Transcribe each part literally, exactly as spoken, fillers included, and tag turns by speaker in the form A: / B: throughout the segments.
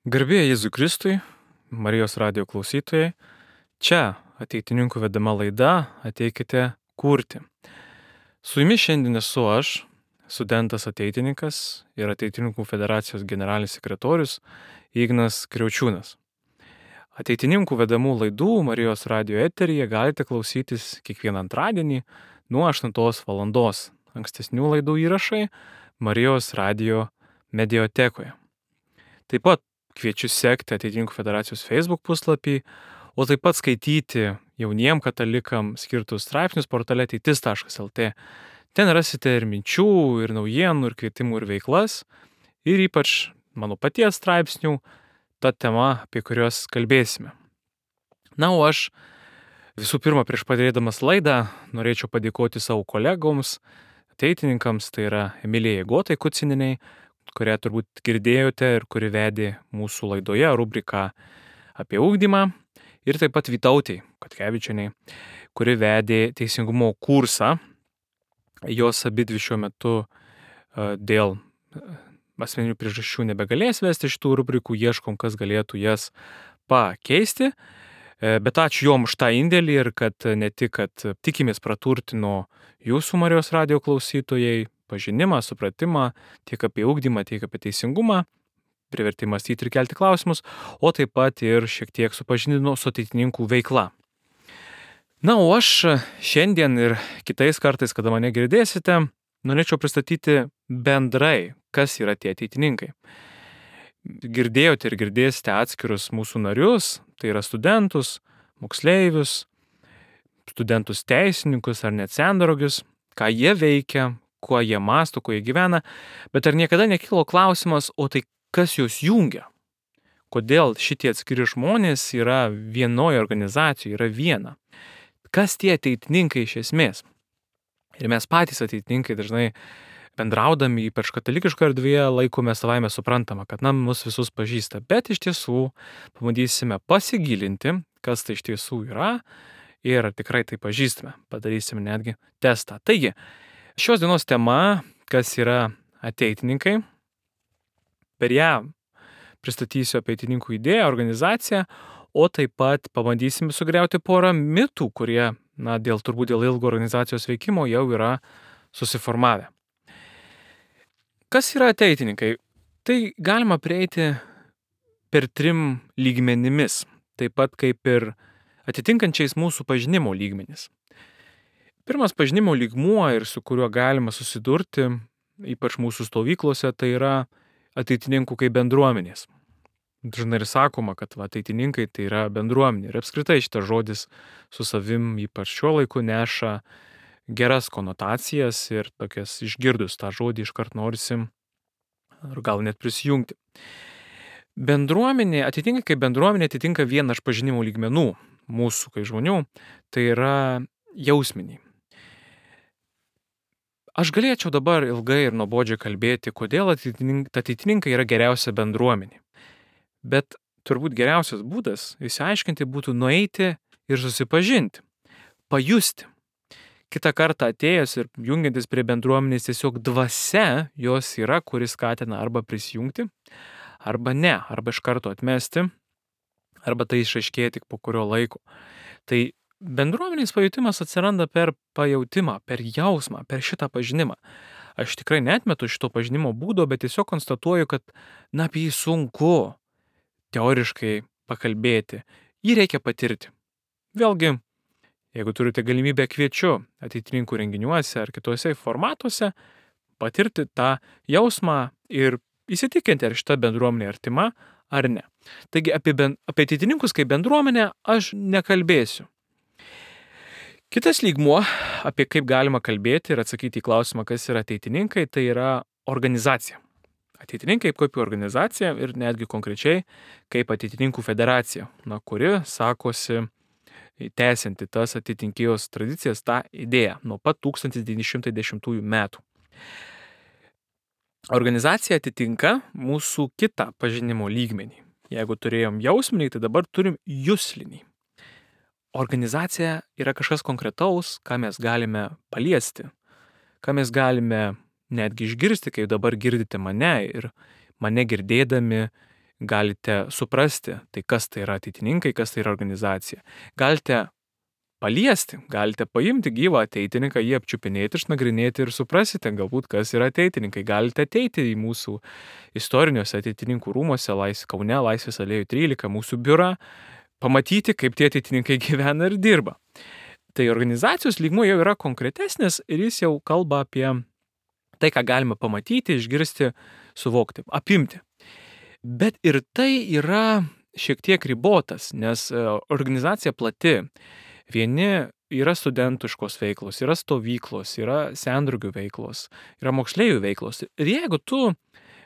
A: Garbė Jėzui Kristui, Marijos radijo klausytojai, čia ateitininkų vedama laida Ateikite kurti. Su jumis šiandien esu aš, studentas ateitininkas ir Ateitininkų federacijos generalinis sekretorius Ignas Kriaučiūnas. Ateitininkų vedamų laidų Marijos radijo eteryje galite klausytis kiekvieną antradienį nuo aštuntos valandos. Ankstesnių laidų įrašai Marijos radijo mediatekoje. Taip pat kviečiu sekti Ateitininkų federacijos Facebook puslapį, o taip pat skaityti jauniem katalikam skirtus straipsnius portale ateitis taškas lt. Ten rasite ir minčių, ir naujienų, ir kvietimų, ir veiklas, ir ypač mano paties straipsnių, ta tema, apie kurios kalbėsime. Na, o aš visų pirma, prieš pradėdamas laidą, norėčiau padėkoti savo kolegoms, ateitininkams, tai yra Emilijai Gotai Kucininiai, kurią turbūt girdėjote ir kuri vedė mūsų laidoje rubriką apie ugdymą, ir taip pat Vytautei Katkevičienei, kuri vedė teisingumo kursą. Jos abidvi šiuo metu dėl asmeninių priežasčių nebegalės vesti šitų rubrikų, ieškom, kas galėtų jas pakeisti. Bet ačiū jom už tą indėlį ir kad ne tik, kad tikimės praturtino jūsų Marijos radijo klausytojai, pažinimą, supratimą tiek apie ugdymą, tiek apie teisingumą, privertė mąstyti ir kelti klausimus, o taip pat ir šiek tiek supažindino su ateitininkų veikla. Na, o aš šiandien ir kitais kartais, kada mane girdėsite, norėčiau pristatyti bendrai, kas yra tie ateitininkai. Girdėjote ir girdėsite atskirus mūsų narius, tai yra studentus, moksleivius, studentus teisininkus ar net sendarogius, ką jie veikia, kuo jie mąsto, kuo jie gyvena, bet ar niekada nekilo klausimas, o tai kas juos jungia? Kodėl šitie atskiri žmonės yra vienoje organizacijoje, yra viena? Kas tie ateitininkai iš esmės? Ir mes patys ateitininkai dažnai bendraudami, ypač katalikiškoje erdvėje, laikome savaime suprantama, kad na, mus visus pažįsta, bet iš tiesų pabandysime pasigilinti, kas tai iš tiesų yra ir tikrai tai pažįstame. Padarysime netgi testą. Taigi, šios dienos tema, kas yra ateitininkai, per ją pristatysiu ateitininkų idėją, organizaciją, o taip pat pabandysime sugriauti porą mitų, kurie, na, dėl turbūt dėl ilgo organizacijos veikimo jau yra susiformavę. Kas yra ateitininkai? Tai galima prieiti per trim lygmenimis, taip pat kaip ir atitinkančiais mūsų pažinimo lygmenis. Pirmas pažinimo lygmuo ir su kuriuo galima susidurti, ypač mūsų stovyklose, tai yra ateitininkų kaip bendruomenės. Dažnai ir sakoma, kad va, ateitininkai tai yra bendruomenė. Ir apskritai šitas žodis su savim ypač šiuo laiku neša geras konotacijas ir tokias išgirdus tą žodį iškart norisi ar gal net prisijungti. Bendruomenė, atitinka kaip bendruomenė atitinka vieną iš pažinimo lygmenų mūsų kaip žmonių, tai yra jausminiai. Aš galėčiau dabar ilgai ir nuobodžiai kalbėti, kodėl ateitininkai yra geriausia bendruomenė. Bet turbūt geriausias būdas išsiaiškinti būtų nueiti ir susipažinti, pajusti. Kitą kartą atėjęs ir jungiantis prie bendruomenės tiesiog dvasia jos yra, kuris skatina arba prisijungti, arba ne, arba iš karto atmesti, arba tai išaiškėja tik po kurio laiko. Tai bendruomenės pajutimas atsiranda per pajautimą, per jausmą, per šitą pažinimą. Aš tikrai neatmetu šito pažinimo būdo, bet tiesiog konstatuoju, kad na, apie jį sunku teoriškai pakalbėti. Jį reikia patirti. Vėlgi, jeigu turite galimybę, kviečiu ateitininkų renginiuose ar kituose formatuose patirti tą jausmą ir įsitikinti, ar šita bendruomenė artima ar ne. Taigi apie, ben, apie ateitininkus kaip bendruomenę aš nekalbėsiu. Kitas lygmuo, apie kaip galima kalbėti ir atsakyti į klausimą, kas yra ateitininkai, tai yra organizacija. Ateitininkai kaip organizacija ir netgi konkrečiai kaip ateitininkų federacija, na, kuri sakosi tęsianti tas ateitinkijos tradicijas, tą idėją nuo pat tūkstantis devyni šimtai dešimtųjų metų. Organizacija atitinka mūsų kitą pažinimo lygmenį. Jeigu turėjom jausminį, tai dabar turim juslinį. Organizacija yra kažkas konkretaus, ką mes galime paliesti, ką mes galime netgi išgirsti, kaip dabar girdite mane ir mane girdėdami galite suprasti, tai kas tai yra ateitininkai, kas tai yra organizacija. Galite paliesti, galite paimti gyvą ateitininką, jį apčiupinėti, išnagrinėti ir suprasite galbūt, kas yra ateitininkai. Galite ateiti į mūsų istoriniuose ateitininkų rūmuose, Lais, Kaune, Laisvės alėjų trylika, mūsų biurą, pamatyti, kaip tie ateitininkai gyvena ir dirba. Tai organizacijos lygmuo jau yra konkretesnis ir jis jau kalba apie tai, ką galima pamatyti, išgirsti, suvokti, apimti. Bet ir tai yra šiek tiek ribotas, nes organizacija plati. Vieni yra studentiškos veiklos, yra stovyklos, yra sendraugių veiklos, yra moksleivių veiklos. Ir jeigu tu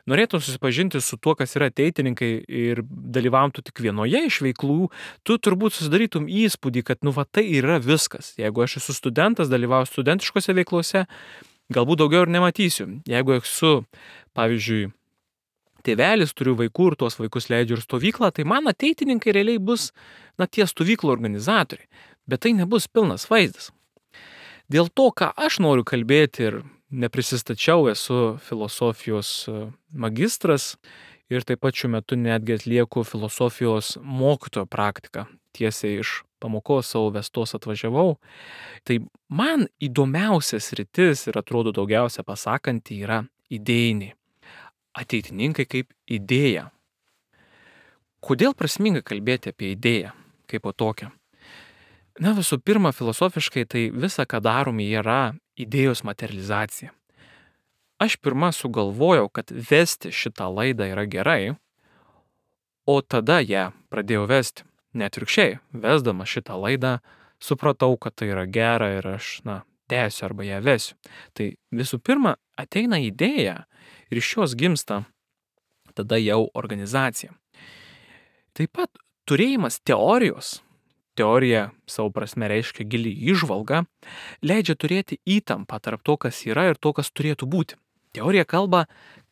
A: norėtum susipažinti su tuo, kas yra ateitininkai ir dalyvautų tik vienoje iš veiklų, tu turbūt susidarytum įspūdį, kad nu va tai yra viskas. Jeigu aš esu studentas, dalyvauju studentiškose veiklose, galbūt daugiau ir nematysiu. Jeigu esu, pavyzdžiui, tėvelis, turiu vaikų ir tuos vaikus leidžiu ir stovyklą, tai man ateitininkai realiai bus na, tie stovyklų organizatoriai. Bet tai nebus pilnas vaizdas. Dėl to, ką aš noriu kalbėti ir neprisistačiau, esu filosofijos magistras ir taip pat šiuo metu netgi atlieku filosofijos mokytojo praktiką. Tiesiai iš pamokos savo vestos atvažiavau. Tai man įdomiausias sritis ir atrodo daugiausia pasakanti yra idėjiniai. Ateitininkai kaip idėja. Kodėl prasminga kalbėti apie idėją kaip po tokią? Na, visų pirma, filosofiškai tai visa, ką darome, yra idėjos materializacija. Aš pirma sugalvojau, kad vesti šitą laidą yra gerai, o tada ją pradėjau vesti. Net atvirkščiai, vesdama šitą laidą, supratau, kad tai yra gera ir aš, na, tęsiu arba ją vesiu. Tai visų pirma, ateina idėja ir iš jos gimsta tada jau organizacija. Taip pat turėjimas teorijos, teorija savo prasme reiškia gili įžvalga, leidžia turėti įtampą tarp to, kas yra ir to, kas turėtų būti. Teorija kalba,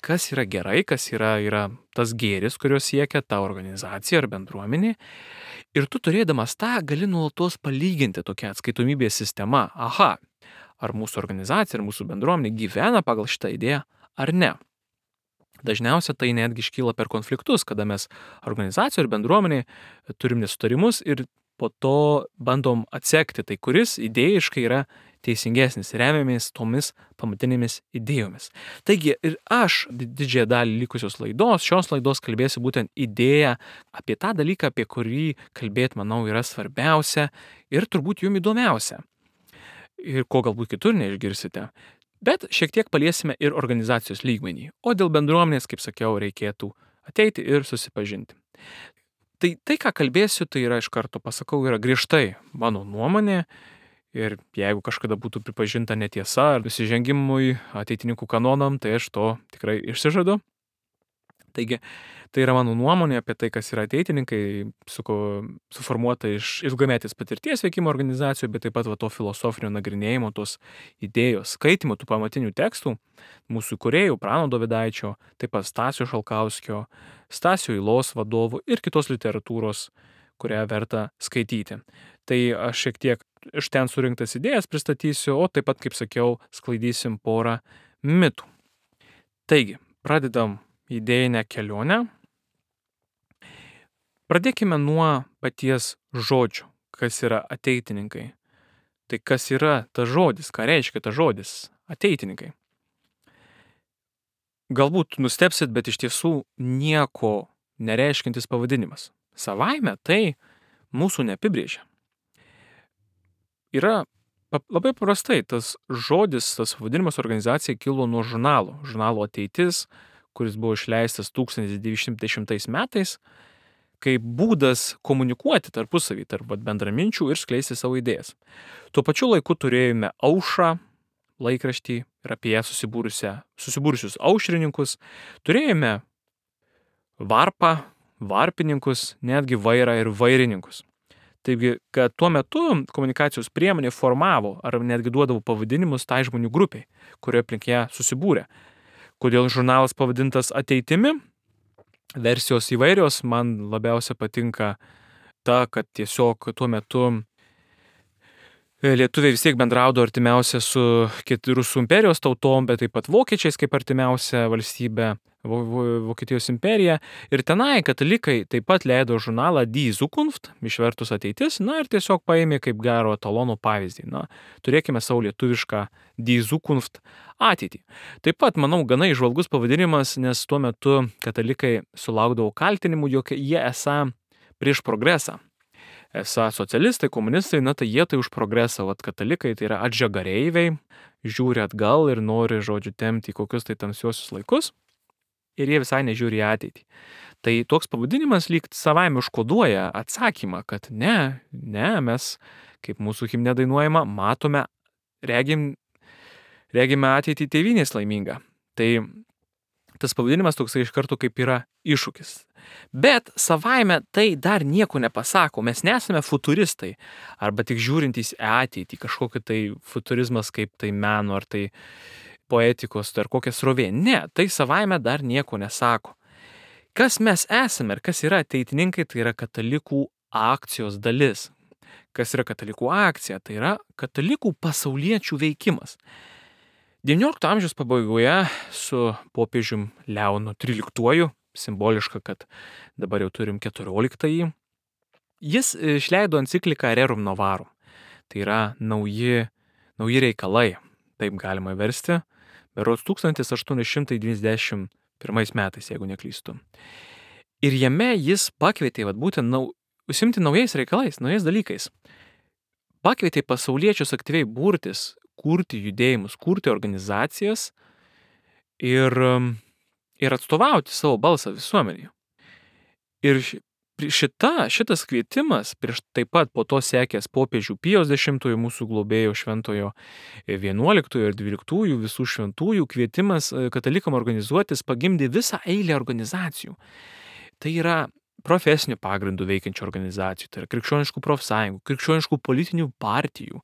A: kas yra gerai, kas yra, yra tas gėris, kurio siekia ta organizacija ar bendruomenė. Ir tu turėdamas tą gali nuolatos palyginti tokią atskaitomybės sistemą. Aha, ar mūsų organizacija, ar mūsų bendruomenė gyvena pagal šitą idėją, ar ne. Dažniausiai tai netgi iškyla per konfliktus, kada mes organizacijoje ir bendruomenėje turim nesutarimus ir po to bandom atsekti, tai kuris idėjiškai yra teisingesnis, remiamės tomis pamatinėmis idėjomis. Taigi ir aš didžiąją dalį likusios laidos, šios laidos kalbėsiu būtent idėją apie tą dalyką, apie kurį kalbėti, manau, yra svarbiausia ir turbūt jums įdomiausia. Ir ko galbūt kitur neišgirsite. Bet šiek tiek paliesime ir organizacijos lygmenį. O dėl bendruomenės, kaip sakiau, reikėtų ateiti ir susipažinti. Tai, tai, ką kalbėsiu, tai yra iš karto pasakau, yra griežtai mano nuomonė ir jeigu kažkada būtų pripažinta netiesa ar nusižengimui ateitininkų kanonam, tai aš to tikrai išsižadu. Taigi, tai yra mano nuomonė apie tai, kas yra ateitininkai, suko, suformuota iš ilgametės patirties veikimo organizacijų, bet taip pat va, to filosofinio nagrinėjimo, tos idėjos, skaitimo, tų pamatinių tekstų, mūsų kūrėjų, Prano Dovydaičio, taip pat Stasio Šalkauskio, Stasio Ilos vadovų ir kitos literatūros, kurią verta skaityti. Tai aš šiek tiek iš ten surinktas idėjas pristatysiu, o taip pat, kaip sakiau, sklaidysim porą mitų. Taigi, pradedam idėjinę kelionę. Pradėkime nuo paties žodžio, kas yra ateitininkai. Tai kas yra tas žodis, ką reiškia tas žodis ateitininkai. Galbūt nustebsit, bet iš tiesų nieko nereiškintis pavadinimas. Savaime tai mūsų neapibrėžia. Yra labai paprastai, tas žodis, tas pavadinimas organizacijai kilo nuo žurnalo. Žurnalo Ateitis, kuris buvo išleistas tūkstantis devyni šimtai dešimtais metais, kaip būdas komunikuoti tarpusavį, tarp bendraminčių ir skleisti savo idėjas. Tuo pačiu laiku turėjome Aušrą laikraštį ir apie ją susibūrusius aušrininkus. Turėjome Varpą, varpininkus, netgi Vairą ir vairininkus. Taigi, kad tuo metu komunikacijos priemonė formavo ar netgi duodavo pavadinimus tai žmonių grupiai, kurioje aplink ją susibūrė. Kodėl žurnalas pavadintas Ateitimi? Versijos įvairios, man labiausia patinka ta, kad tiesiog tuo metu lietuviai vis tiek bendraudavo artimiausia su Rusų imperijos tautom, bet taip pat vokiečiais kaip artimiausia valstybė, Vokietijos imperija. Ir tenai katalikai taip pat leido žurnalą Die Zukunft, išvertus ateitis, na ir tiesiog paėmė kaip gero etalono pavyzdį. Na, turėkime savo lietuvišką Die Zukunft ateitį. Taip pat, manau, gana įžvalgus pavadinimas, nes tuo metu katalikai sulaukdavo kaltinimų, jog jie esą prieš progresą. Esą socialistai, komunistai, na tai jie tai už progresą, vat katalikai tai yra atžagareiviai, žiūri atgal ir nori, žodžiu, tempti į kokius tai tamsiuosius laikus. Ir jie visai nežiūri į ateitį. Tai toks pavadinimas lyg savaime užkoduoja atsakymą, kad ne, ne, mes, kaip mūsų himne dainuojama, matome, regim, regime ateitį tėvynės laimingą. Tai tas pavadinimas toksai iš karto kaip yra iššūkis. Bet savaime tai dar nieko nepasako, mes nesame futuristai, arba tik žiūrintys į ateitį, kažkokį tai futurizmas kaip tai meno, ar tai poetikos, ar kokia srovė. Ne, tai savaime dar nieko nesako. Kas mes esame ir kas yra ateitininkai, tai yra katalikų akcijos dalis. Kas yra katalikų akcija? Tai yra katalikų pasauliečių veikimas. devyniolikto amžiaus pabaigoje su popiežium Leonu tryliktuoju, simboliška, kad dabar jau turim keturioliktąjį, jis išleido encikliką Rerum Novarum. Tai yra nauji, nauji reikalai, taip galima versti, berods tūkstantis aštuoni šimtai devyniasdešimt pirmais metais, jeigu neklystu. Ir jame jis pakvietė, vat, būtent nau, užsimti naujais reikalais, naujais dalykais. Pakvietė pasauliečius aktyviai burtis, kurti judėjimus, kurti organizacijas ir, ir atstovauti savo balsą visuomenėje. Ir šita, šitas kvietimas, prieš taip pat po to sekęs popiežių Pijos dešimtojo, mūsų globėjo šventojo vienuoliktojo ir dvyliktųjų visų šventųjų kvietimas katalikam organizuotis pagimdė visą eilę organizacijų. Tai yra profesinių pagrindų veikiančių organizacijų, tai yra krikščioniškų profsąjungų, krikščioniškų politinių partijų,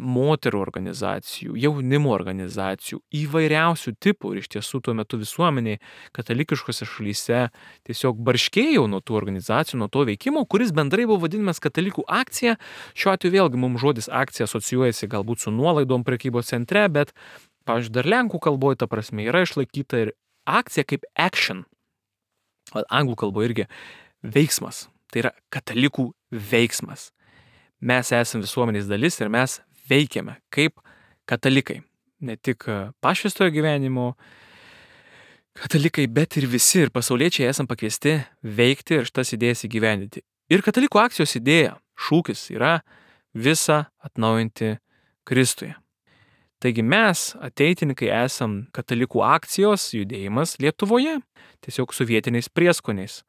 A: moterų organizacijų, jaunimo organizacijų, įvairiausių tipų. Ir iš tiesų tuo metu visuomeniai katalikiškose šalyse tiesiog barškėjo nuo tų organizacijų, nuo to veikimo, kuris bendrai buvo vadinamas katalikų akcija. Šiuo atveju vėlgi mums žodis akcija asocijuojasi galbūt su nuolaidom prekybos centre, bet, pavyzdžiui, dar lenkų kalboje ta prasme yra išlaikyta ir akcija kaip action. Anglų kalboje irgi veiksmas. Tai yra katalikų veiksmas. Mes esame visuomenės dalis ir mes veikiame kaip katalikai. Ne tik pašvęstojo gyvenimo katalikai, bet ir visi ir pasauliečiai esam pakviesti veikti ir šitas idėjas įgyvendinti. Ir katalikų akcijos idėja, šūkis yra visą atnaujinti Kristuje. Taigi mes, ateitininkai, esam katalikų akcijos judėjimas Lietuvoje, tiesiog su vietiniais prieskoniais.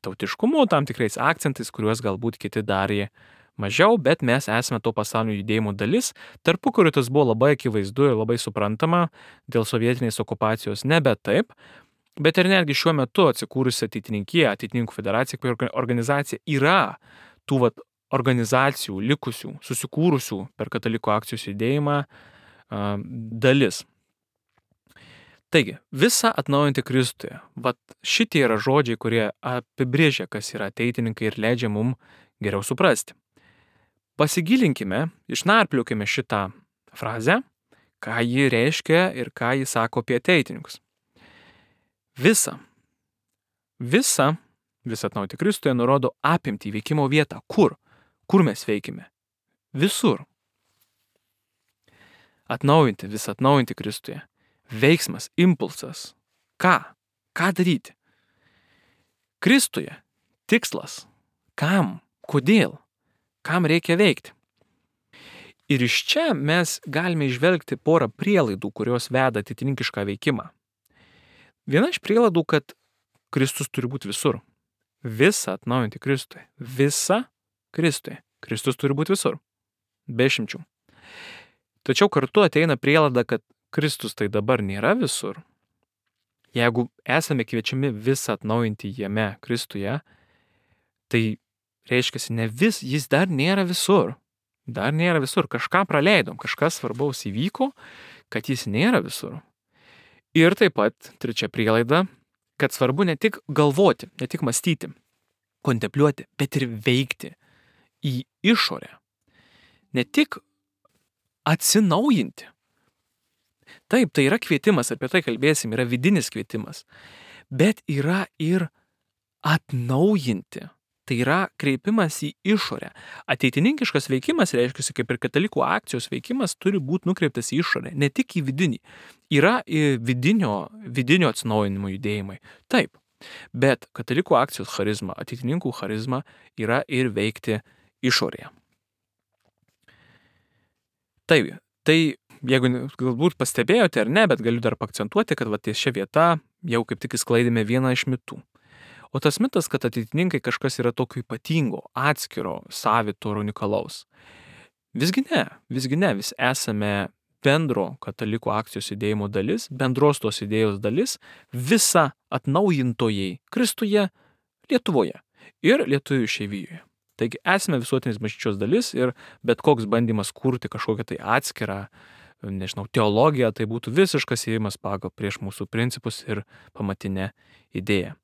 A: Tautiškumu, tam tikrais akcentais, kuriuos galbūt kiti darė mažiau, bet mes esame to pasaulinio judėjimo dalis. Tarpukariu tas buvo labai akivaizdu ir labai suprantama, dėl sovietinės okupacijos nebe taip, bet ir netgi šiuo metu atsikūrusi ateitininkija, ateitininkų federacija, kaip organizacija, yra tų vat, organizacijų likusių, susikūrusių per katalikų akcijos judėjimą a, dalis. Taigi, visą atnaujinti Kristuje. Vat šitie yra žodžiai, kurie apibrėžia, kas yra ateitininkai ir leidžia mums geriau suprasti. Pasigilinkime, išnarpliokime šitą frazę, ką ji reiškia ir ką ji sako apie ateitininkus. Visa, visa, visą atnaujinti Kristuje nurodo apimti veikimo vietą. Kur? Kur mes veikime? Visur. Atnaujinti, visą atnaujinti Kristuje. Veiksmas, impulsas. Ką? Ką daryti? Kristuje. Tikslas. Kam? Kodėl? Kam reikia veikti? Ir iš čia mes galime išvelgti porą prielaidų, kurios veda ateitininkišką veikimą. Viena iš prielaidų, kad Kristus turi būti visur. Visą atnaujinti Kristuje. Visą Kristuje. Kristus turi būti visur. Be išimčių. Tačiau kartu ateina prielaida, kad Kristus tai dabar nėra visur. Jeigu esame kviečiami visą atnaujinti jame Kristuje, tai reiškia, ne vis, jis dar nėra visur. Dar nėra visur. Kažką praleidom, kažkas svarbaus įvyko, kad jis nėra visur. Ir taip pat trečia prielaida, kad svarbu ne tik galvoti, ne tik mąstyti, kontempliuoti, bet ir veikti į išorę. Ne tik atsinaujinti. Taip, tai yra kvietimas, apie tai kalbėsim, yra vidinis kvietimas, bet yra ir atnaujinti. Tai yra kreipimas į išorę. Ateitininkiškas veikimas, reiškia, kaip ir katalikų akcijos veikimas, turi būti nukreiptas į išorę, ne tik į vidinį. Yra ir vidinio, vidinio atsinaujinimo judėjimai. Taip, bet katalikų akcijos charizma, ateitininkų charizma yra ir veikti išorėje. Taip, tai jeigu galbūt pastebėjote ar ne, bet galiu dar paakcentuoti, kad va ties šia vieta jau kaip tik įsklaidėme vieną iš mitų. O tas mitas, kad ateitininkai kažkas yra tokio ypatingo, atskiro, savito ir unikalaus. Visgi ne, visgi ne, vis esame bendro katalikų akcijos judėjimo dalis, bendros tos idėjos dalis, visa atnaujintojai Kristuje, Lietuvoje ir lietuvių išeivijoje. Taigi esame visuotinės bažnyčios dalis ir bet koks bandymas kurti kažkokią tai atskirą, nežinau, teologiją, tai būtų visiškas ėjimas pagal prieš mūsų principus ir pamatinę idėją.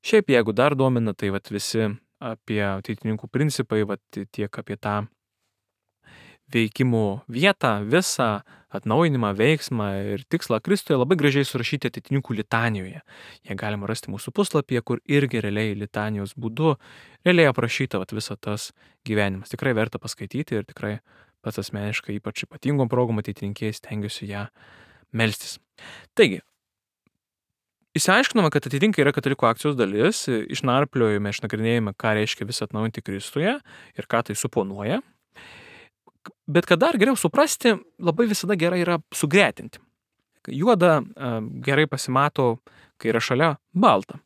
A: Šiaip jeigu dar domina, tai vat visi apie ateitininkų principai, vat tiek apie tą veikimo vietą, visą atnaujinimą, veiksmą ir tikslą Kristuje labai gražiai surašyti ateitininkų litanijoje. Jie galima rasti mūsų puslapyje, kur irgi realiai litanijos būdu realiai aprašyta vat visą tas gyvenimas. Tikrai verta paskaityti ir tikrai pats asmeniškai ypač ypatingom progom ateitininkėjai stengiuosi ją melstis. Taigi, išsiaiškinome, kad ateitininkai yra katalikų akcijos dalis, išnarpliojame, išnagrinėjame, ką reiškia visą atnaujinti Kristuje ir ką tai suponuoja. Bet kad dar geriau suprasti, labai visada gerai yra sugretinti. Juoda gerai pasimato, kai yra šalia balta.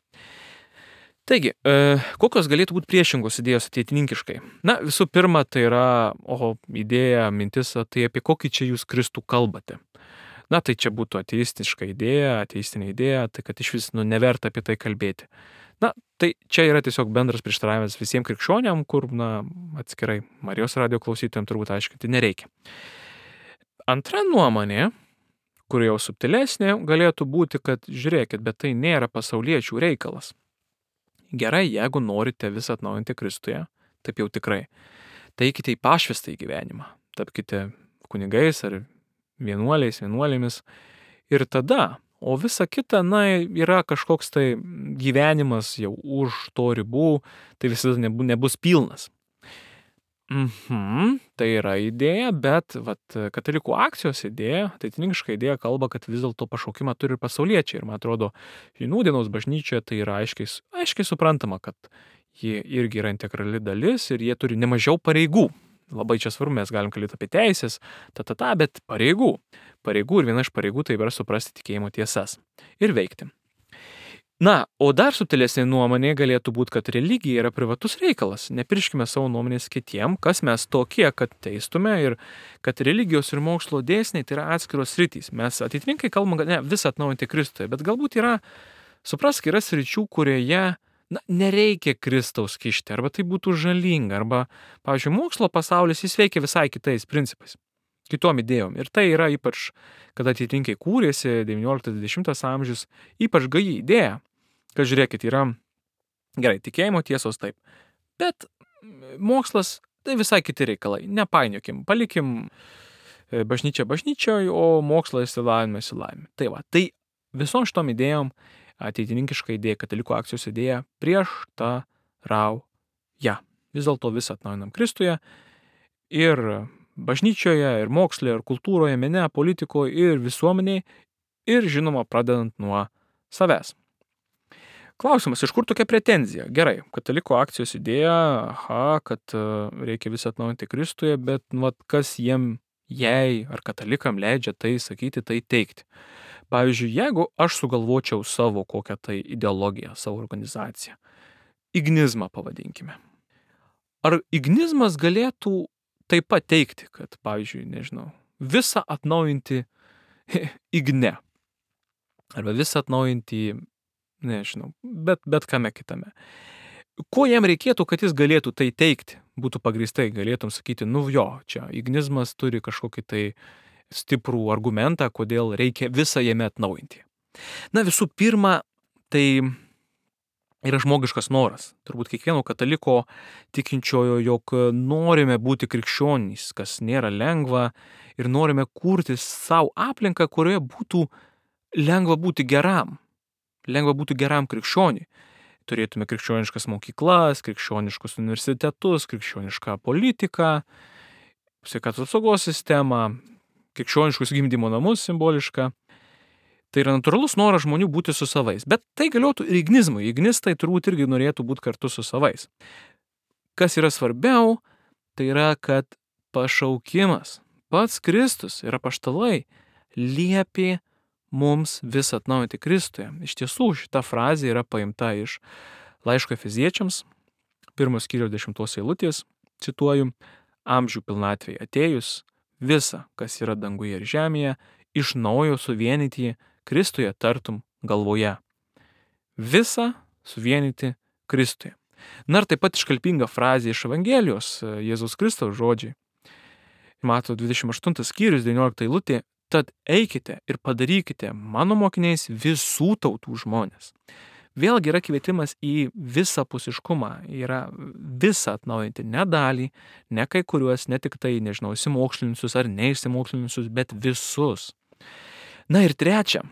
A: Taigi, kokios galėtų būti priešingos idėjos ateitininkiškai? Na, visų pirma, tai yra, oho, idėja, mintis, tai apie kokį čia jūs Kristų kalbate. Na, tai čia būtų ateistiška idėja, ateistinė idėja, tai kad iš vis nu, neverta apie tai kalbėti. Na, tai čia yra tiesiog bendras prieštaravimas visiems krikščioniam, kur, na, atskirai Marijos radijo klausytojams turbūt aiškinti nereikia. Antra nuomonė, kur jau subtilesnė, galėtų būti, kad žiūrėkit, bet tai nėra pasauliečių reikalas. Gerai, jeigu norite visą atnaujinti Kristuje, taip jau tikrai, tai eikite į pašvestą gyvenimą, tapkite kunigais ar vienuoliais, vienuolėmis ir tada, o visa kita, na, yra kažkoks tai gyvenimas jau už to ribų, tai visada nebus pilnas. Mhm, tai yra idėja, bet vat, katalikų akcijos idėja, ateitininkiška idėja kalba, kad vis dėlto pašaukimą turi ir pasauliečiai. Ir man atrodo, nūdienos bažnyčioje tai yra aiškiai, aiškiai suprantama, kad jie irgi yra integrali dalis ir jie turi nemažiau pareigų. Labai čia svarbu, mes galim kalbėti apie teisės, ta, ta, ta, bet pareigų. Pareigų ir viena iš pareigų tai yra suprasti tikėjimo tiesas ir veikti. Na, o dar subtilesnė nuomonė galėtų būti, kad religija yra privatus reikalas. Nepirškime savo nuomonės kitiem, kas mes tokie, kad teistume ir kad religijos ir mokslo dėsniai tai yra atskiros sritys. Mes ateitininkai kalbam, kad ne, visą atnaujinti Kristuje, bet galbūt yra, suprask, yra sričių, kurioje na, nereikia Kristaus kišti, arba tai būtų žalinga, arba, pavyzdžiui, mokslo pasaulis jis veikia visai kitais principais, kitom idėjom. Ir tai yra ypač, kada ateitininkai kūrėsi devynioliktas dvidešimtas amžius, ypač gaji idėja, kad žiūrėkit, yra gerai, tikėjimo tiesos taip, bet mokslas tai visai kiti reikalai, nepainiokim, palikim bažnyčią bažnyčioj, o mokslas išsilavinimą išsilavinimą. Tai va, tai visom šitom idėjom ateitininkiška idėja, katalikų akcijos idėja prieštarauja. Vis dėlto visą atnaujinam Kristuje ir bažnyčioje, ir moksle, ir kultūroje, mene, politikoje, ir visuomenėje, ir žinoma, pradedant nuo savęs. Klausimas, iš kur tokia pretenzija? Gerai, katalikų akcijos idėja, aha, kad reikia visą atnaujinti Kristuje, bet vat, kas jiem, jai ar katalikam leidžia tai sakyti, tai teikti. Pavyzdžiui, jeigu aš sugalvočiau savo kokią tai ideologiją, savo organizaciją, ignizmą pavadinkime. Ar ignizmas galėtų taip pat teikti, kad, pavyzdžiui, nežinau, visą atnaujinti igne, arba visą atnaujinti, nežinau, bet, bet kame kitame. Ko jam reikėtų, kad jis galėtų tai teikti, būtų pagrįstai, galėtum sakyti, nu jo, čia ignizmas turi kažkokį tai stiprų argumentą, kodėl reikia visą jame atnaujinti. Na, visų pirma, tai yra žmogiškas noras. Turbūt kiekvieno kataliko tikinčiojo, jog norime būti krikščionys, kas nėra lengva, ir norime kurti savo aplinką, kurioje būtų lengva būti geram. Lengva būti geram krikščioniui. Turėtume krikščioniškas mokyklas, krikščioniškus universitetus, krikščionišką politiką, sveikatos apsaugos sistemą, krikščioniškus gimdymo namus simbolišką. Tai yra natūralus noras žmonių būti su savais. Bet tai galiotų ir ignizmui. Ignistai turbūt irgi norėtų būti kartu su savais. Kas yra svarbiau, tai yra, kad pašaukimas, pats Kristus ir apaštalai liepė mums vis atnaujinti Kristuje. Iš tiesų, šita frazė yra paimta iš laiško Efeziečiams, pirmos skyriaus dešimtos eilutės, cituoju, amžių pilnatvėje atėjus, visa, kas yra danguje ir žemėje, iš naujo suvienyti Kristuje tartum galvoje. Visa suvienyti Kristuje. Na ir taip pat iškalbinga frazė iš Evangelijos, Jėzaus Kristaus žodžiai. Mato dvidešimt aštuntas skyrius, devyniolikta eilutė, tad eikite ir padarykite mano mokiniais visų tautų žmonės. Vėlgi yra kvietimas į visapusiškumą, yra visą atnaujinti, ne dalį, ne kai kuriuos, ne tik tai, nežinau, išsimokslinusius ar neišsimokslinusius, bet visus. Na ir trečia,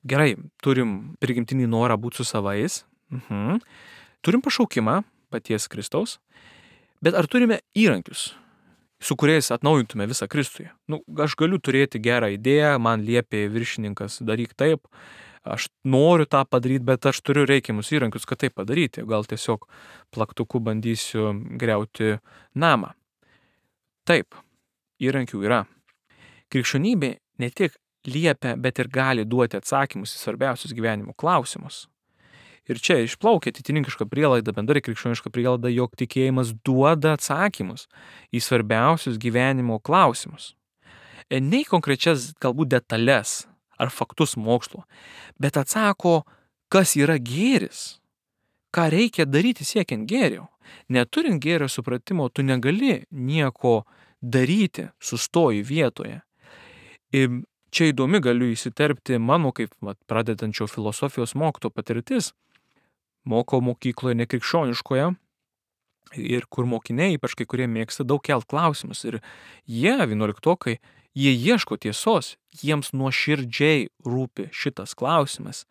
A: gerai, turim prigimtinį norą būti su savais, mhm. Turim pašaukimą paties Kristaus, bet ar turime įrankius, su kuriais atnaujintume visą Kristuje? Nu, aš galiu turėti gerą idėją, man liepė viršininkas daryk taip, aš noriu tą padaryti, bet aš turiu reikiamus įrankius, kad tai padaryti. Gal tiesiog plaktuku bandysiu griauti namą. Taip, įrankių yra. Krikščionybė ne tik liepia, bet ir gali duoti atsakymus į svarbiausius gyvenimo klausimus. Ir čia išplaukia atitininkiška prielaida, bendrai krikščioniška prielaida, jog tikėjimas duoda atsakymus į svarbiausius gyvenimo klausimus. Ne į konkrečias galbūt detalės ar faktus mokslo, bet atsako, kas yra gėris, ką reikia daryti siekiant gėrio. Neturint gėrio supratimo, tu negali nieko daryti, sustoji vietoje. Ir čia įdomi galiu įsiterpti mano kaip vat, pradedančio filosofijos mokytojo patirtis. Mokau mokykloje nekrikščioniškoje ir kur mokiniai, ypač kai kurie mėgsta daug kelt klausimus. Ir jie, vienuoliktokai, jie ieško tiesos, jiems nuoširdžiai rūpi šitas klausimas.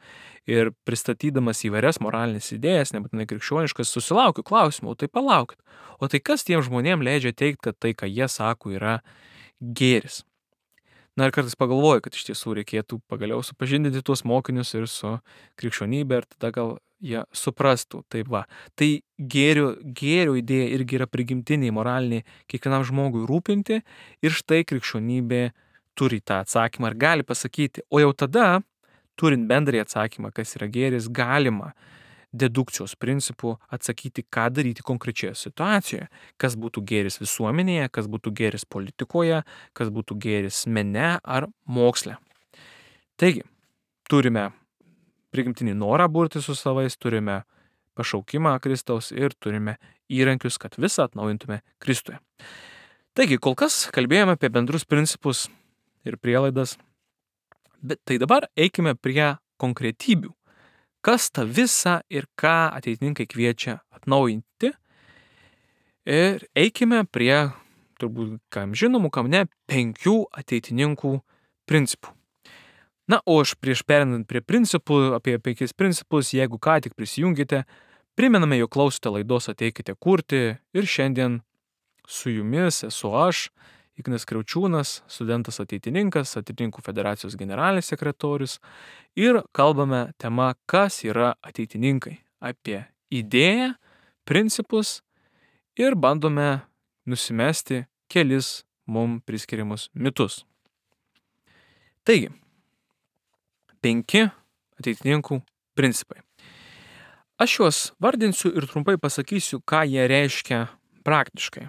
A: Ir pristatydamas įvairias moralinės idėjas, nebūtinai krikščioniškas, susilaukiu klausimų, o tai palaukit. O tai kas tiem žmonėm leidžia teikti, kad tai, ką jie sako, yra gėris? Na ir kartais pagalvoju, kad iš tiesų reikėtų pagaliau supažindinti tuos mokinius ir su krikščionybė ir tada gal jie suprastų. Tai va, tai gėrio, gėrio idėja irgi yra prigimtiniai, moraliniai, kiekvienam žmogui rūpinti ir štai krikščionybė turi tą atsakymą ir gali pasakyti, o jau tada, turint bendrąjį atsakymą, kas yra gėris, galima dedukcijos principų atsakyti, ką daryti konkrečioje situacijoje, kas būtų gėris visuomenėje, kas būtų gėris politikoje, kas būtų gėris mene ar moksle. Taigi, turime prigimtinį norą burti su savais, turime pašaukimą Kristaus ir turime įrankius, kad visą atnaujintume Kristuje. Taigi, kol kas kalbėjome apie bendrus principus ir prielaidas, bet tai dabar eikime prie konkretybių. Kas ta visa ir ką ateitininkai kviečia atnaujinti. Ir eikime prie, turbūt kam žinomų, kam ne, penkių ateitininkų principų. Na, o aš prieš perinant prie principų, apie penkis principus, jeigu ką tik prisijungite, primename, jog klausote laidos Ateikite kurti ir šiandien su jumis esu aš, Ignas Kriaučiūnas, studentas ateitininkas, Ateitininkų federacijos generalinis sekretorius ir kalbame tema, kas yra ateitininkai, apie idėją, principus ir bandome nusimesti kelis mums priskiriamus mitus. Taigi, penki ateitininkų principai. Aš juos vardinsiu ir trumpai pasakysiu, ką jie reiškia praktiškai.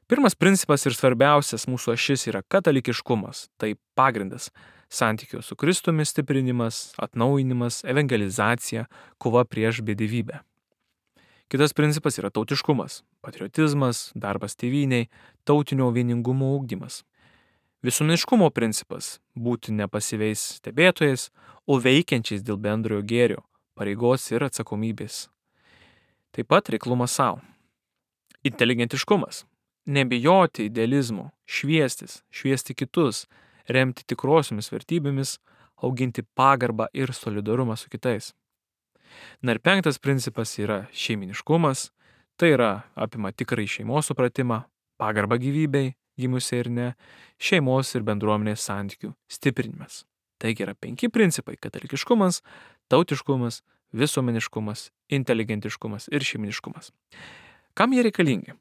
A: Pirmas principas ir svarbiausias mūsų ašis yra katalikiškumas, tai pagrindas santykio su Kristumi stiprinimas, atnaujinimas, evangelizacija, kova prieš bedivybę. Kitas principas yra tautiškumas, patriotizmas, darbas tėvynei, tautinio vieningumo ugdymas. Visuomeniškumo principas – būti ne pasyviais stebėtojais, o veikiančiais dėl bendrojo gėrio, pareigos ir atsakomybės. Taip pat reiklumas savo. Inteligentiškumas. Nebijoti idealizmo, šviestis, šviesti kitus, remti tikrosiomis vertybėmis, auginti pagarbą ir solidarumą su kitais. Na ir penktas principas yra šeiminiškumas, tai yra apima tikrai šeimos supratimą, pagarbą gyvybei, gimusiai ir ne, šeimos ir bendruomenės santykių stiprinimas. Taigi yra penki principai – katalikiškumas, tautiškumas, visuomeniškumas, inteligentiškumas ir šeiminiškumas. Kam jie reikalingi?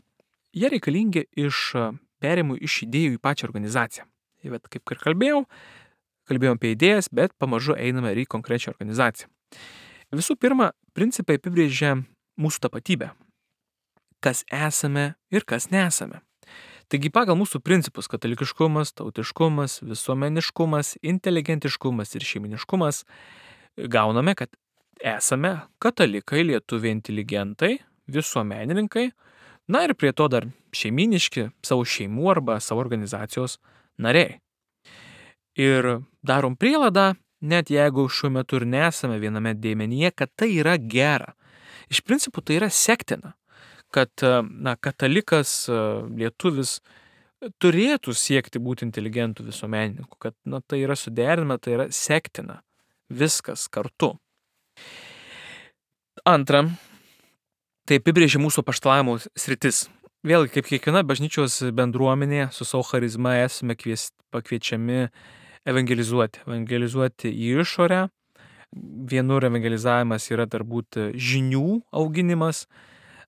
A: Jie reikalingi iš perimų iš idėjų į pačią organizaciją. Ir vat, kaip ir kalbėjau, kalbėjom apie idėjas, bet pamažu einame ir į konkrečią organizaciją. Visų pirma, principai apibrėžia mūsų tapatybę. Kas esame ir kas nesame. Taigi pagal mūsų principus katalikiškumas, tautiškumas, visuomeniškumas, inteligentiškumas ir šeiminiškumas gauname, kad esame katalikai, lietuviai inteligentai, visuomenininkai, na ir prie to dar šeiminiški, savo šeimų arba savo organizacijos nariai. Ir darom prielaidą, net jeigu šiuo metu ir nesame viename dėmenyje, kad tai yra gera. Iš principų tai yra sektina, kad na, katalikas, lietuvis turėtų siekti būti inteligentų visuomenininku, kad na, tai yra suderinama, tai yra sektina, viskas kartu. Antra, tai apibrėžia mūsų apaštalavimo sritis. Vėlgi, kaip kiekviena bažnyčios bendruomenė su savo charizma esame kvies, pakviečiami evangelizuoti. Evangelizuoti į išorę. Vienur evangelizavimas yra turbūt žinių auginimas,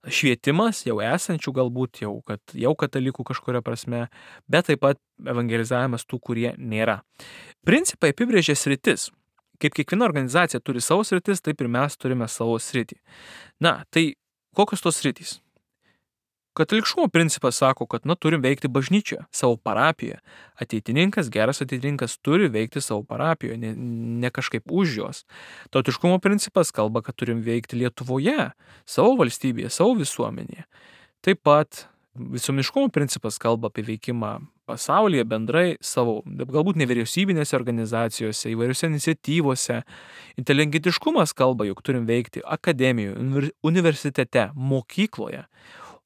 A: švietimas jau esančių galbūt, jau, kad, jau katalikų kažkuria prasme, bet taip pat evangelizavimas tų, kurie nėra. Principai apibrėžia sritis. Kaip kiekviena organizacija turi savo sritis, taip ir mes turime savo sritį. Na, tai kokios tos sritys? Katalikškumo principas sako, kad na, turim veikti bažnyčioje, savo parapijoje. Ateitininkas, geras ateitininkas turi veikti savo parapijoje, ne, ne kažkaip už jos. Tautiškumo principas kalba, kad turim veikti Lietuvoje, savo valstybėje, savo visuomenėje. Taip pat visuomeniškumo principas kalba apie veikimą pasaulyje bendrai, savo, galbūt nevyriausybinėse organizacijose, įvairiose iniciatyvose. Inteligentiškumas kalba, jog turim veikti akademijoje, universitete, mokykloje.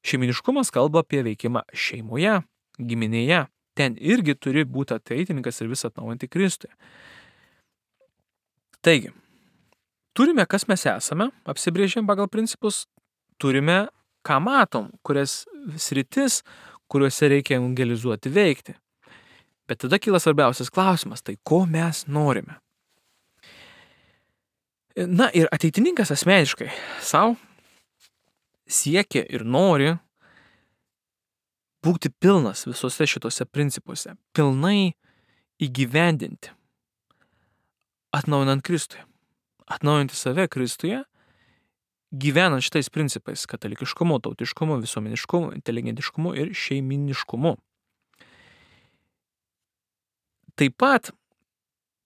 A: Šeiminiškumas kalba apie veikimą šeimoje, giminėje. Ten irgi turi būti ateitininkas ir vis atnaujinti Kristuje. Taigi, turime, kas mes esame, apsibrėžėm pagal principus, turime, ką matom, kurias sritis, kuriuose reikia evangelizuoti veikti. Bet tada kyla svarbiausias klausimas, tai ko mes norime? Na ir ateitininkas asmeniškai savo siekia ir nori būti pilnas visose šitose principuose, pilnai įgyvendinti, atnaujinant Kristuje, atnaujinti save Kristuje, gyvenant šitais principais – katalikiškumu, tautiškumu, visuomeniškumu, inteligentiškumu ir šeiminiškumu. Taip pat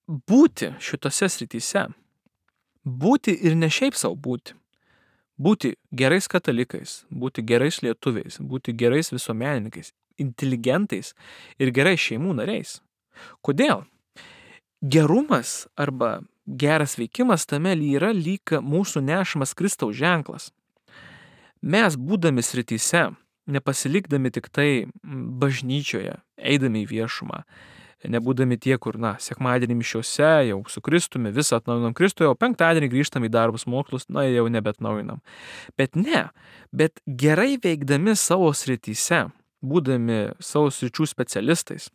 A: būti šitose srityse, būti ir ne šiaip savo būti, būti gerais katalikais, būti gerais lietuviais, būti gerais visuomenininkais, inteligentais ir gerais šeimų nariais. Kodėl? Gerumas arba geras veikimas tame yra lyg mūsų nešamas Kristaus ženklas. Mes, būdami srityse, nepasilikdami tik tai bažnyčioje, eidami į viešumą, nebūdami tie, kur, na, sekmadienį mišiose, jau su Kristumi, visą atnaujinam Kristuje, o penktadienį grįžtam į darbus mokslus, na, jau nebetnaujinam. Bet ne, bet gerai veikdami savo srityse, būdami savo sričių specialistais,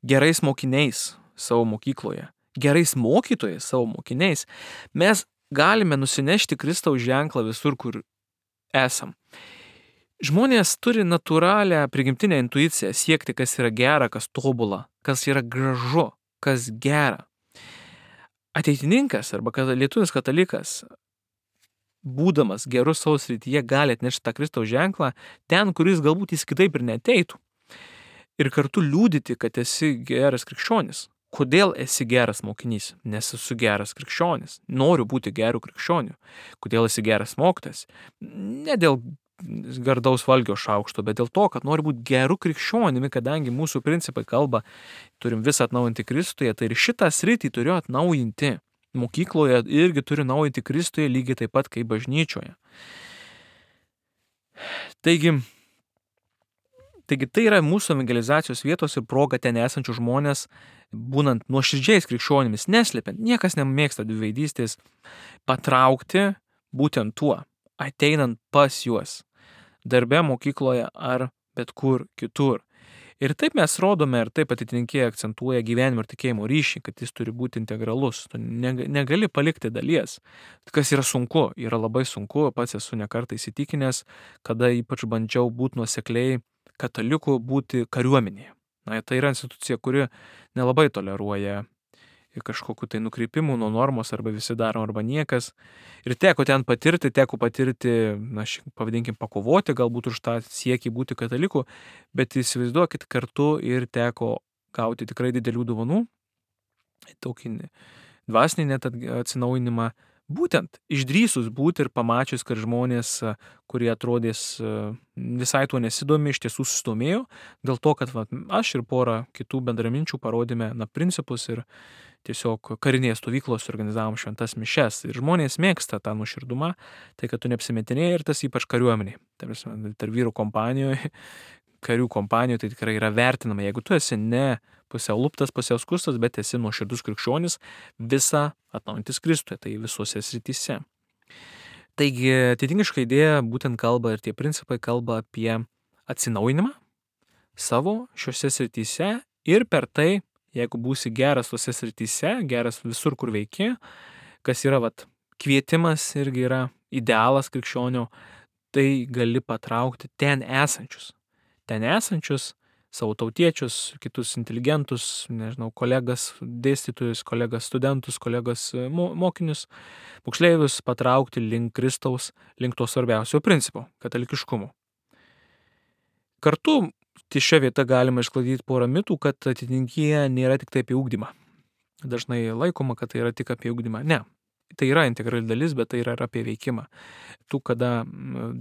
A: gerais mokiniais savo mokykloje, gerais mokytojais savo mokiniais, mes galime nusinešti Kristaus ženklą visur, kur esam. Žmonės turi natūralią prigimtinę intuiciją siekti, kas yra gera, kas tobula, kas yra gražu, kas gera. Ateitininkas arba lietuvis katalikas, būdamas gerus savo srityje, gali atnešti tą Kristaus ženklą ten, kuris galbūt jis kitaip ir neteitų. Ir kartu liūdyti, kad esi geras krikščionis. Kodėl esi geras mokinys? Nes esu geras krikščionis. Noriu būti gerų krikščionių. Kodėl esi geras mokytojas? Ne dėl gardaus valgio šaukšto, bet dėl to, kad noriu būti gerų krikščionimi, kadangi mūsų principai kalba, turim visą atnaujinti Kristuje, tai ir šitą sritį turiu atnaujinti. mokykloje irgi turi naudoti Kristuje lygiai taip pat kaip bažnyčioje. Taigi, taigi tai yra mūsų evangelizacijos vietos ir proga ten esančių žmonės, būnant nuoširdžiais krikščionimis, neslepiant, niekas nemėgsta dviveidystės, patraukti būtent tuo, ateinant pas juos, darbe, mokykloje ar bet kur kitur. Ir taip mes rodome ir taip atitinkėjai akcentuoja gyvenimo ir tikėjimo ryšį, kad jis turi būti integralus. Tu negali palikti dalies. Kas yra sunku, yra labai sunku, pats esu nekartą įsitikinęs, kada ypač bandžiau būti nuosekliai katalikų būti kariuomenėje. Na, tai yra institucija, kuri nelabai toleruoja kažkokiu tai nukrypimų nuo normos arba visi daro arba niekas. Ir teko ten patirti, teko patirti, na, pavadinkim, pakovoti galbūt už tą siekį būti kataliku, bet įsivaizduokit kartu ir teko gauti tikrai didelių dovanų, tokį dvasinį net atsinaujinimą, būtent išdrįsus būti ir pamačius, kad žmonės, kurie atrodės visai tuo nesidomi, iš tiesų susidomėjo, dėl to, kad va, aš ir pora kitų bendraminčių parodėme na, principus ir tiesiog karinėje stovyklos organizavom šventas mišes. Ir žmonės mėgsta tą nuoširdumą, tai kad tu neapsimetinėjai ir tas ypač kariuomeniai. Tarp vyrų kompanijoje, karių kompanijoje tai tikrai yra vertinama. Jeigu tu esi ne pusiau luptas, pusiau skustas, bet esi nuoširdus krikščionis, visą atnaujintis Kristuje, tai visose srityse. Taigi, atitinkiška idėja būtent kalba ir tie principai kalba apie atsinaujinimą savo šiuose srityse ir per tai, jeigu būsi geras tose srityse, geras visur, kur veiki, kas yra vat, kvietimas irgi yra idealas krikščionio, tai gali patraukti ten esančius. Ten esančius savo tautiečius, kitus inteligentus, nežinau, kolegas, dėstytojus, kolegas studentus, kolegas mokinius, moksleivius patraukti link Kristaus, link to svarbiausio principo – katalikiškumo. Kartu ties šia vieta galima išsklaidyti porą mitų, kad atitinkėje nėra tik tai apie ugdymą. Dažnai laikoma, kad tai yra tik apie ugdymą. Ne, tai yra integrali dalis, bet tai yra apie veikimą. Tu, kada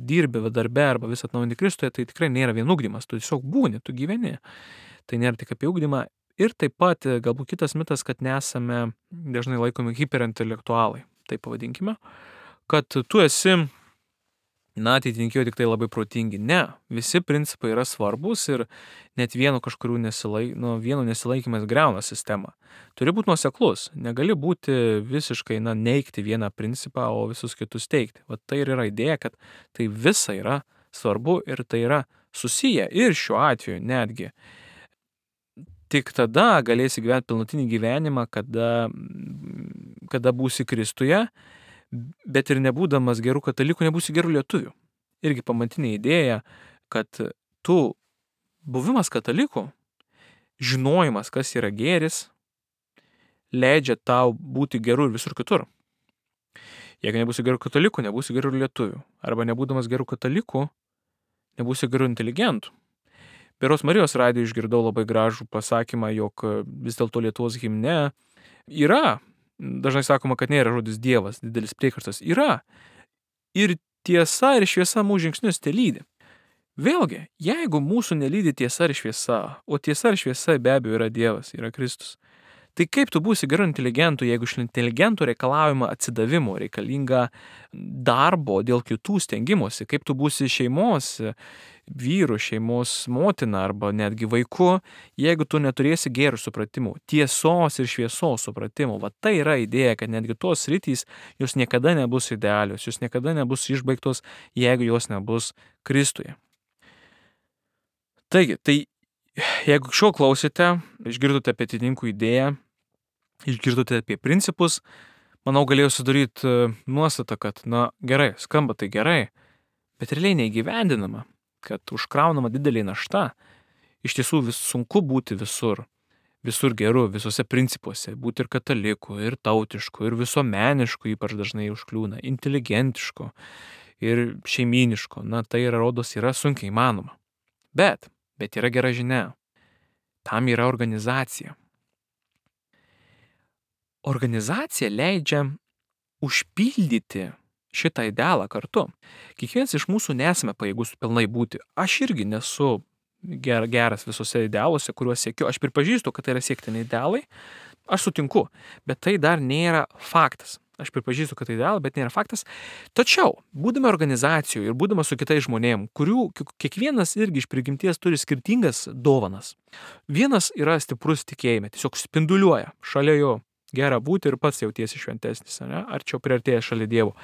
A: dirbi darbe arba vis atnaujinti Kristuje, tai tikrai nėra vien ugdymas, tu tiesiog būni, tu gyveni. Tai nėra tik apie ugdymą. Ir taip pat galbūt kitas mitas, kad nesame dažnai laikomi hiperintelektualai, taip pavadinkime, kad tu esi na, atitinkėjo tik tai labai protingi. Ne, visi principai yra svarbus ir net vieno kažkurių nesilaik, nu, vieno nesilaikymas greuna sistemą. Turi būti nuoseklus, negali būti visiškai, na, neigti vieną principą, o visus kitus teikti. Vat tai ir yra idėja, kad tai visa yra svarbu ir tai yra susiję ir šiuo atveju netgi. Tik tada galėsi gyventi pilnutinį gyvenimą, kada, kada būsi Kristuje, bet ir nebūdamas gerų katalikų, nebūsi gerų lietuvių. Irgi pamatinė idėja, kad tu buvimas kataliku, žinojimas, kas yra gėris, leidžia tau būti geru ir visur kitur. Jeigu nebūsi gerų katalikų, nebūsi gerų lietuvių. Arba nebūdamas gerų katalikų, nebūsi gerų inteligentų. Berods Marijos radijo išgirdau labai gražų pasakymą, jog vis dėlto Lietuvos himne yra, dažnai sakoma, kad nėra žodis Dievas, didelis priekarstas. Yra. Ir tiesa ir šviesa mūsų žingsnius te lydi. Vėlgi, jeigu mūsų nelydi tiesa ir šviesa, o tiesa ir šviesa be abejo yra Dievas, yra Kristus, tai kaip tu būsi geru inteligentu, jeigu iš inteligentų reikalaujama atsidavimo, reikalinga darbo dėl kitų stengimosi, kaip tu būsi šeimos vyrų, šeimos motina arba netgi vaiku, jeigu tu neturėsi gerų supratimų, tiesos ir šviesos supratimų. Va tai yra idėja, kad netgi tos sritys, jos niekada nebus idealios, jos niekada nebus išbaigtos, jeigu jos nebus Kristuje. Taigi, tai jeigu šio klausėte, išgirdote apie atitinkų idėją, išgirdote apie principus, manau galėjau sudaryti nuostatą, kad, na, gerai, skamba tai gerai, bet realiai neįgyvendinama, kad užkraunama didelė našta, iš tiesų vis sunku būti visur, visur geru, visose principuose, būti ir kataliku, ir tautišku, ir visuomenišku, ypač dažnai užkliūna, inteligentišku ir šeimynišku, na, tai yra, rodos, yra sunkiai įmanoma. Bet, bet yra gera žinia, tam yra organizacija. Organizacija leidžia užpildyti šitą idealą kartu. Kiekvienas iš mūsų nesame pajėgus pilnai būti. Aš irgi nesu ger, geras visose idealuose, kuriuos siekiu. Aš pripažįstu, kad tai yra siektini idealai. Aš sutinku, bet tai dar nėra faktas. Aš pripažįstu, kad tai idealas, bet nėra faktas. Tačiau, būdami organizacijoje ir būdama su kitais žmonėm, kurių kiekvienas irgi iš prigimties turi skirtingas dovanas. Vienas yra stiprus tikėjime, tiesiog spinduliuoja, šalia jo gera būti ir pats jautiesi šventesnis, ne? Arčiau priartėjęs šalia Dievo.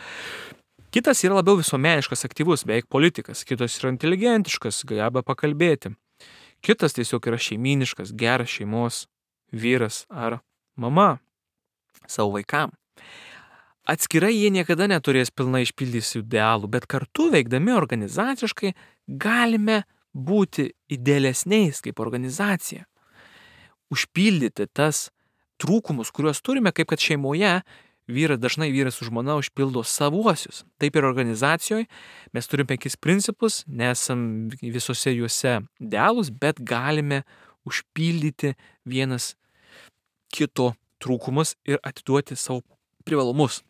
A: Kitas yra labiau visuomeniškas, aktyvus, beveik politikas, kitas yra inteligentiškas, geba pakalbėti. Kitas tiesiog yra šeiminiškas, geras šeimos vyras ar mama savo vaikam. Atskirai jie niekada neturės pilnai išpildyti idealų, bet kartu veikdami organizaciškai galime būti idealesniais kaip organizacija. Užpildyti tas trūkumus, kuriuos turime, kaip kad šeimoje vyras, dažnai vyras su žmona užpildo savuosius. Taip ir organizacijoje mes turime penkis principus, nesam visose juose idealūs, bet galime užpildyti vienas kito trūkumus ir atiduoti savo privalumus.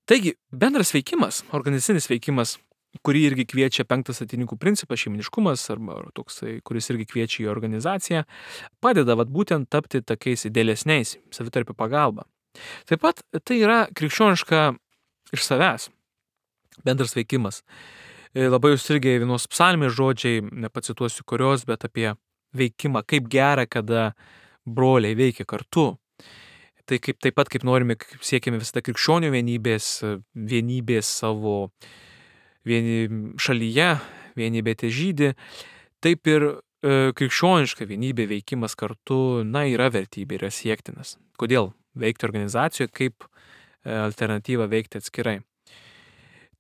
A: Taigi, bendras veikimas, organizacinis veikimas, kurį irgi kviečia penktas ateitininkų principas, šeiminiškumas, arba toksai, kuris irgi kviečia į organizaciją, padeda vat, būtent tapti tokiais idealesniais, savitarpio pagalba. Taip pat tai yra krikščioniška iš savęs bendras veikimas. Labai užstrigę vienos psalmės žodžiai, nepacituosiu kurios, bet apie veikimą, kaip gera, kada broliai veikia kartu. Tai kaip, taip pat, kaip norime, kaip siekime visada krikščionių vienybės, vienybės savo vieni šalyje, vienybė težydi, taip ir e, krikščioniška vienybė veikimas kartu, na, yra vertybė, yra siektinas. Kodėl veikti organizacijoje, kaip e, alternatyva veikti atskirai.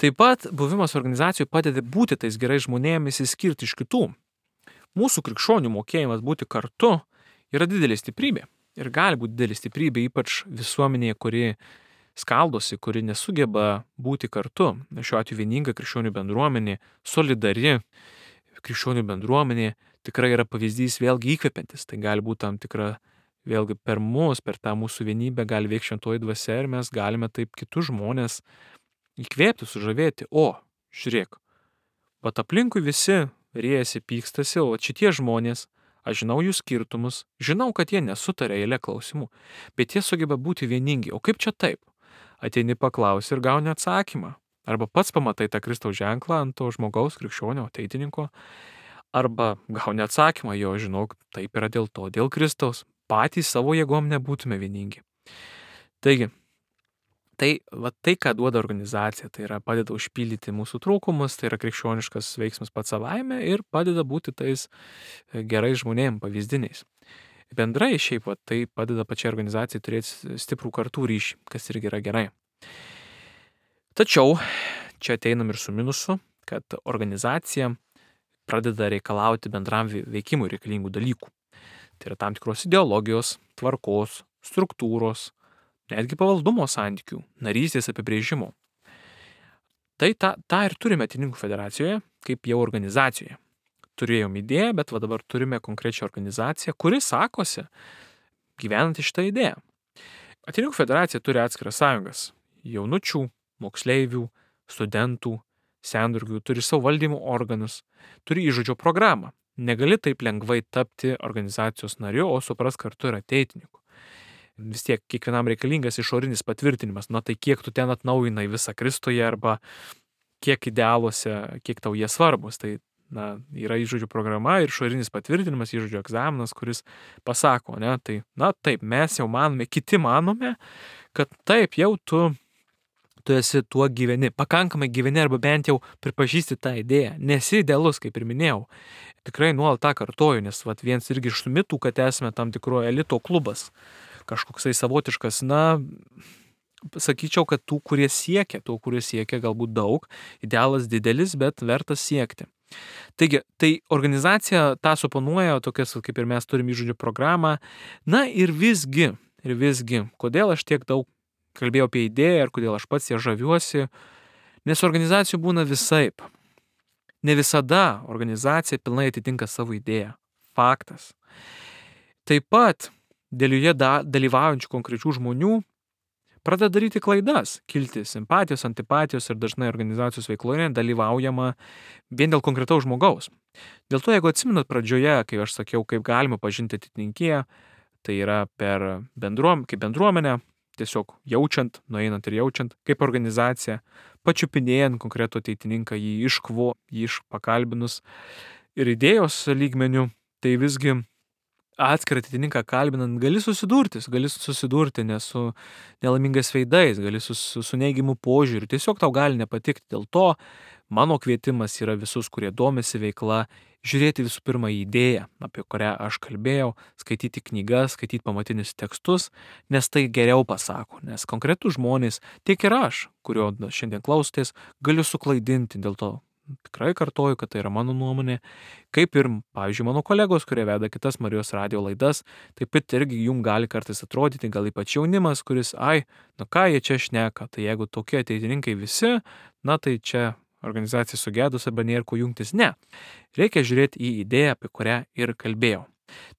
A: Taip pat buvimas organizacijoje padeda būti tais gerais žmonėmis įskirti iš kitų. Mūsų krikščionių mokėjimas būti kartu yra didelė stiprybė. Ir gali būti didelė stiprybė, ypač visuomenėje, kuri skaldosi, kuri nesugeba būti kartu. Šiuo atveju vieninga krikščionių bendruomenė, solidari krikščionių bendruomenė tikrai yra pavyzdys vėlgi įkvepiantis. Tai gali būti tam tikra, vėlgi per mus, per tą mūsų vienybę gali veikti šventoji dvasia ir mes galime taip kitus žmonės įkvėpti, sužavėti. O, žiūrėk, pat aplinkui visi riejasi, pykstasi, o šitie žmonės, aš žinau jų skirtumus, žinau, kad jie nesutarė eilę klausimų, bet jie sugeba būti vieningi. O kaip čia taip? Ateini paklausi ir gauni atsakymą. Arba pats pamatai tą Kristaus ženklą ant to žmogaus, krikščionio, ateitininko, arba gauni atsakymą, jo, žinau, taip yra dėl to, dėl Kristaus. Patys savo jėgom nebūtume vieningi. Taigi, tai, va, tai, ką duoda organizacija, tai yra padeda užpildyti mūsų trūkumus, tai yra krikščioniškas veiksmas pats savaime ir padeda būti tais gerais žmonėm, pavyzdiniais. Bendrai šiaip, va, tai padeda pačiai organizacijai turėti stiprų kartų ryšį, kas irgi yra gerai. Tačiau čia ateinam ir su minusu, kad organizacija pradeda reikalauti bendram veikimui reikalingų dalykų. Tai yra tam tikros ideologijos, tvarkos, struktūros, netgi pavaldumo santykių, narystės apibrėžimo. Tai tą, tą ir turime Ateitininkų federacijoje, kaip jau organizacijoje. Turėjom idėją, bet va dabar turime konkrečią organizaciją, kuri sakosi gyvenanti šitą idėją. Ateitininkų federacija turi atskiras sąjungas – jaunučių, moksleivių, studentų, sendirgių, turi savo valdymo organus, turi įžodžio programą. Negali taip lengvai tapti organizacijos nariu, o supras kartu ir ateitininku. Vis tiek kiekvienam reikalingas išorinis patvirtinimas, na tai kiek tu ten atnaujinai visą Kristuje arba kiek idealuose, kiek tau jie svarbus. Tai na, yra įžodžių programa ir išorinis patvirtinimas, įžodžių egzaminas, kuris pasako, ne, tai na taip, mes jau manome, kiti manome, kad taip jau tu, tu esi tuo gyveni, pakankamai gyveni arba bent jau pripažįsti tą idėją. Nesi idealus, kaip ir minėjau. Tikrai nuolat tą kartoju, nes vat, viens irgi iš mitų, kad esame tam tikro elito klubas. Kažkoksai savotiškas, na, sakyčiau, kad tų, kurie siekia, tų, kurie siekia galbūt daug, idealas didelis, bet vertas siekti. Taigi, tai organizacija tą suponuoja, tokias, kaip ir mes turime įžodžių programą, na ir visgi, ir visgi, kodėl aš tiek daug kalbėjau apie idėją ir kodėl aš pats ją žaviuosi, nes organizacijų būna visaip. Ne visada organizacija pilnai atitinka savo idėją. Faktas. Taip pat, dėl joje dalyvaujančių konkrečių žmonių pradeda daryti klaidas, kilti simpatijos, antipatijos ir dažnai organizacijos veikloje dalyvaujama vien dėl konkretaus žmogaus. Dėl to, jeigu atsimenat pradžioje, kai aš sakiau, kaip galima pažinti ateitininkiją, tai yra per bendruom, kaip bendruomenę, tiesiog jaučiant, nueinant ir jaučiant, kaip organizacija, pačiupinėjant konkretų ateitininką, jį iškvo, jį išpakalbinus ir idėjos lygmenių, tai visgi atskirą ateitininką kalbinant gali susidurti, gali susidurti ne su nelaimingais veidais, gali su, su, su neigiamu požiūriu, tiesiog tau gali nepatikti. Dėl to mano kvietimas yra visus, kurie domisi veikla, žiūrėti visų pirma į idėją, apie kurią aš kalbėjau, skaityti knygas, skaityti pamatinius tekstus, nes tai geriau pasako, nes konkretus žmonės, tiek ir aš, kurio šiandien klausotės, galiu suklaidinti, dėl to tikrai kartoju, kad tai yra mano nuomonė, kaip ir, pavyzdžiui, mano kolegos, kurie veda kitas Marijos radijo laidas, taip pat irgi jums gali kartais atrodyti, gal ypač jaunimas, kuris, ai, nu ką jie čia šneka, tai jeigu tokie ateitininkai visi, na tai čia organizacija sugedus arba nėra ko jungtis. Ne, reikia žiūrėti į idėją, apie kurią ir kalbėjau.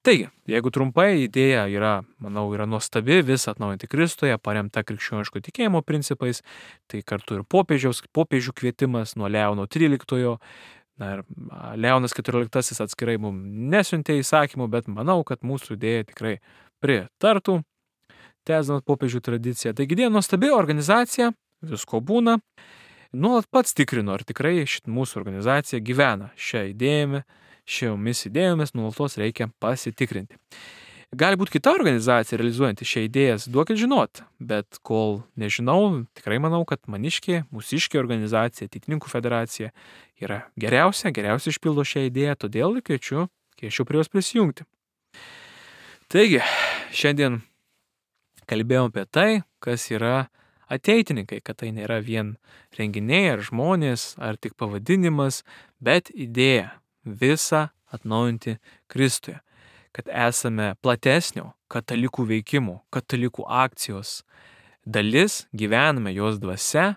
A: Taigi, jeigu trumpai, idėja yra, manau, yra nuostabi, visą atnaujinti Kristuje, paremta krikščioniško tikėjimo principais, tai kartu ir popiežiaus, popiežių kvietimas nuo Leono tryliktojo, na ir Leonas keturioliktasis atskirai mums nesiuntė įsakymų, bet manau, kad mūsų idėja tikrai pritartų, tęsdant popiežių tradiciją. Taigi, idėja nuostabi organizacija, visko būna, nuolat pats tikrinu, ar tikrai šit mūsų organizacija gyvena šią idėją, šiomis idėjomis nuolatos reikia pasitikrinti. Gali būti kita organizacija realizuojanti šią idėją, duokit žinot, bet kol nežinau, tikrai manau, kad Maniškė, Mūsiškė organizacija, Ateitininkų federacija yra geriausia, geriausia išpildo šią idėją, todėl kviečiu, kviečiu prie jos prisijungti. Taigi, šiandien kalbėjom apie tai, kas yra ateitininkai, kad tai nėra vien renginiai ar žmonės, ar tik pavadinimas, bet idėja visą atnaujinti Kristuje, kad esame platesnio katalikų veikimo, katalikų akcijos dalis, gyvename jos dvasia,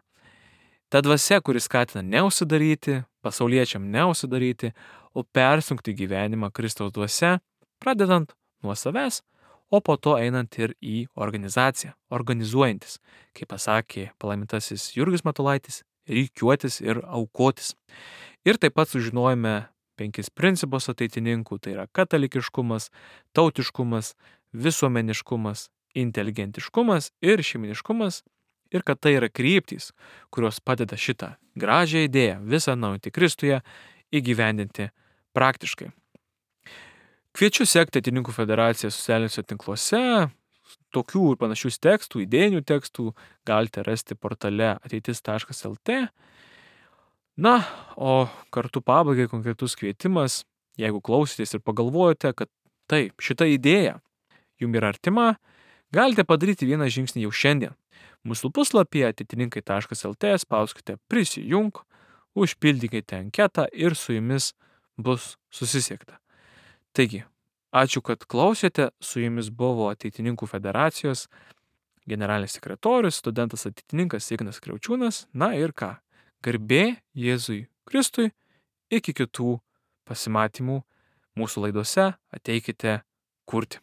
A: ta dvasia, kuris skatina neužsidaryti, pasauliečiam neužsidaryti, o persunkti gyvenimą Kristaus dvasia, pradedant nuo savęs, o po to einant ir į organizaciją, organizuojantis, kaip pasakė palaimintasis Jurgis Matulaitis, rikiuotis ir aukotis. Ir taip pat sužinojome penkis principus ateitininkų, tai yra katalikiškumas, tautiškumas, visuomeniškumas, inteligentiškumas ir šeiminiškumas, ir kad tai yra kryptys, kurios padeda šitą gražią idėją visą atnaujinti Kristuje įgyvendinti praktiškai. Kviečiu sekti Ateitininkų federaciją socialiniuose tinkluose, tokių ir panašių tekstų, idėjinių tekstų galite rasti portale ateitis taškas lt. Na, o kartu pabaigai konkretus kvietimas, jeigu klausitės ir pagalvojate, kad taip, šita idėja jums yra artima, galite padaryti vieną žingsnį jau šiandien. Mūsų puslapyje ateitininkai taškas lt spauskite prisijunk, užpildykite anketą ir su jumis bus susisiekta. Taigi, ačiū, kad klausėte, su jumis buvo Ateitininkų federacijos generalinis sekretorius, studentas ateitininkas Ignas Kriaučiūnas, na ir ką? Garbė Jėzui Kristui, iki kitų pasimatymų mūsų laidose, ateikite kurti.